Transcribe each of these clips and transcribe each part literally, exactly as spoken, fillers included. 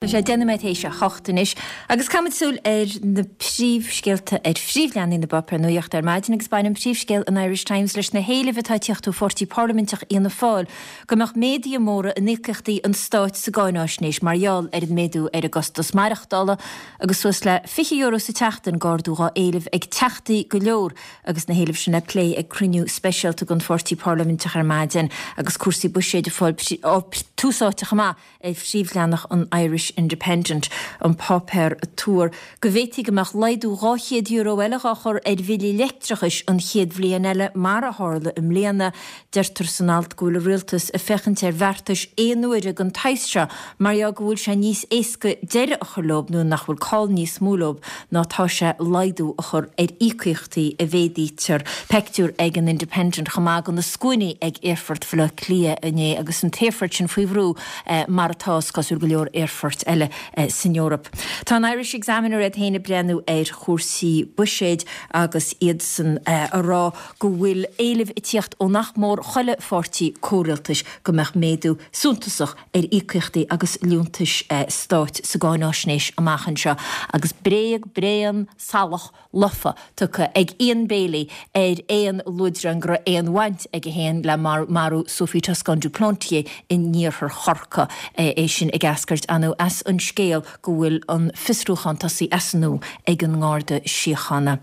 Tá sé deich nóiméad théis a hocht anois agus caithfimid súil ar na príomhscéalta ar phríomhleathanaigh na bpáipéar nuachta ar maidin agus baineann príomhscéal an Irish Times leis na héilimh atá ag tíocht ó pháirtí parlaiminteach Fhianna Fáil go mbeadh méaduithe móra in íocaíochtaí an stáit sa gcáináisnéis mar gheall ar an méadú ar an gcostas maireachtála agus suas le fiche euro sa tseachtain d'ardú dhá éileamh ag teachtaí go leor agus na héilimh sin le plé ag cruinniú speisialta den pháirtí parlaiminteach ar maidin agus cúrsaí buiséid ag fáil tús áite chomh maith ar phríomhleathanach an Irish Independent, an páipéar ag tuar go bhféadfaí go mbeadh laghdú dhá chéad euro eile dhá chur ar bhillí leictreachais an chéad bhliain eile mar a tharla i mbliana. Deirtear san alt go bhfuil an rialtas ag féachaint ar bheartais aon uaire den tsaghas seo mar gheall go bhfuil sé níos éasca deireadh a chur leo nó nach bhfuil call níos mó leo ná tá sé laghdú a chur ar íocaíochtaí a mhéadaítear. Pictiúr ag an Independent chomh maith de na scuainí ag Aerfort Bhaile Átha Cliath inné agus an t-aerfort sin faoi bhrú mar atá is cosúil go leor aerfoirt eile san Eoraip. Tá an Irish Examiner iad féin ag breathnú ar chúrsaí buiséid agus iadsan a rá go bhfuil éilimh ag tíocht ó nach mór chuile pháirtí comhrialtais go mbeadh méadú suntasach ar íocaíochtaí agus liúntais stáit sa gcáináisnéis amach anseo agus bréag bréan salach lofa tugtha ag Ian Bailey ar aon luaidreán go raibh aon bhaint aige féin le marú Sophie Toscan du Plantier in iarthar Chorcaí, é sin ag eascairt ar ndóigh as an scéal go bhfuil an fiosrúchán tosaithe as an nua ag an nGarda Síochána.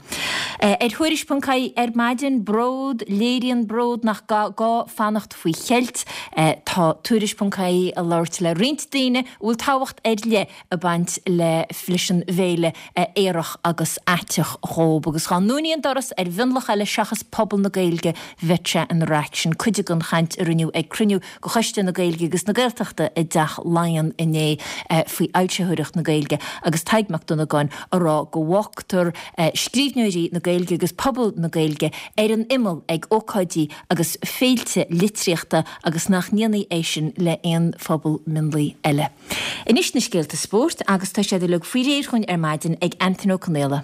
Ar Thuairisc ponc ie ar maidin, Bród, léiríonn bród nach gá fanacht faoi cheilt. Tá Tuairisc ponc ie ag labhairt le roinnt daoine a bhfuil tábhacht ar leith ag baint leis an bhféile aorach agus aiteach dhób. Agus dhá ndúnfaí an doras ar mhionlach eile seachas pobal na Gaeilge bheadh sé ina raic. Sin cuid den chaint a rinneadh ag cruinniú de Choiste na Gaeilge agus na Gaeltachta i dTeach Laighean inné faoi fhoilsitheoireacht na Gaeilge agus Tadhg Mac Dhonnagáin a rá go bhfágtar scríbhneoirí na Gaeilge agus pobal na Gaeilge ar an imeall ag ócáidí agus féilte litríochta agus nach ndéanfaí é sin le haon phobal mionlaigh eile. Anois na scéalta spóirt agus tá siad uilig faoi réir chugainn ar maidin ag Antain Ó Conaola.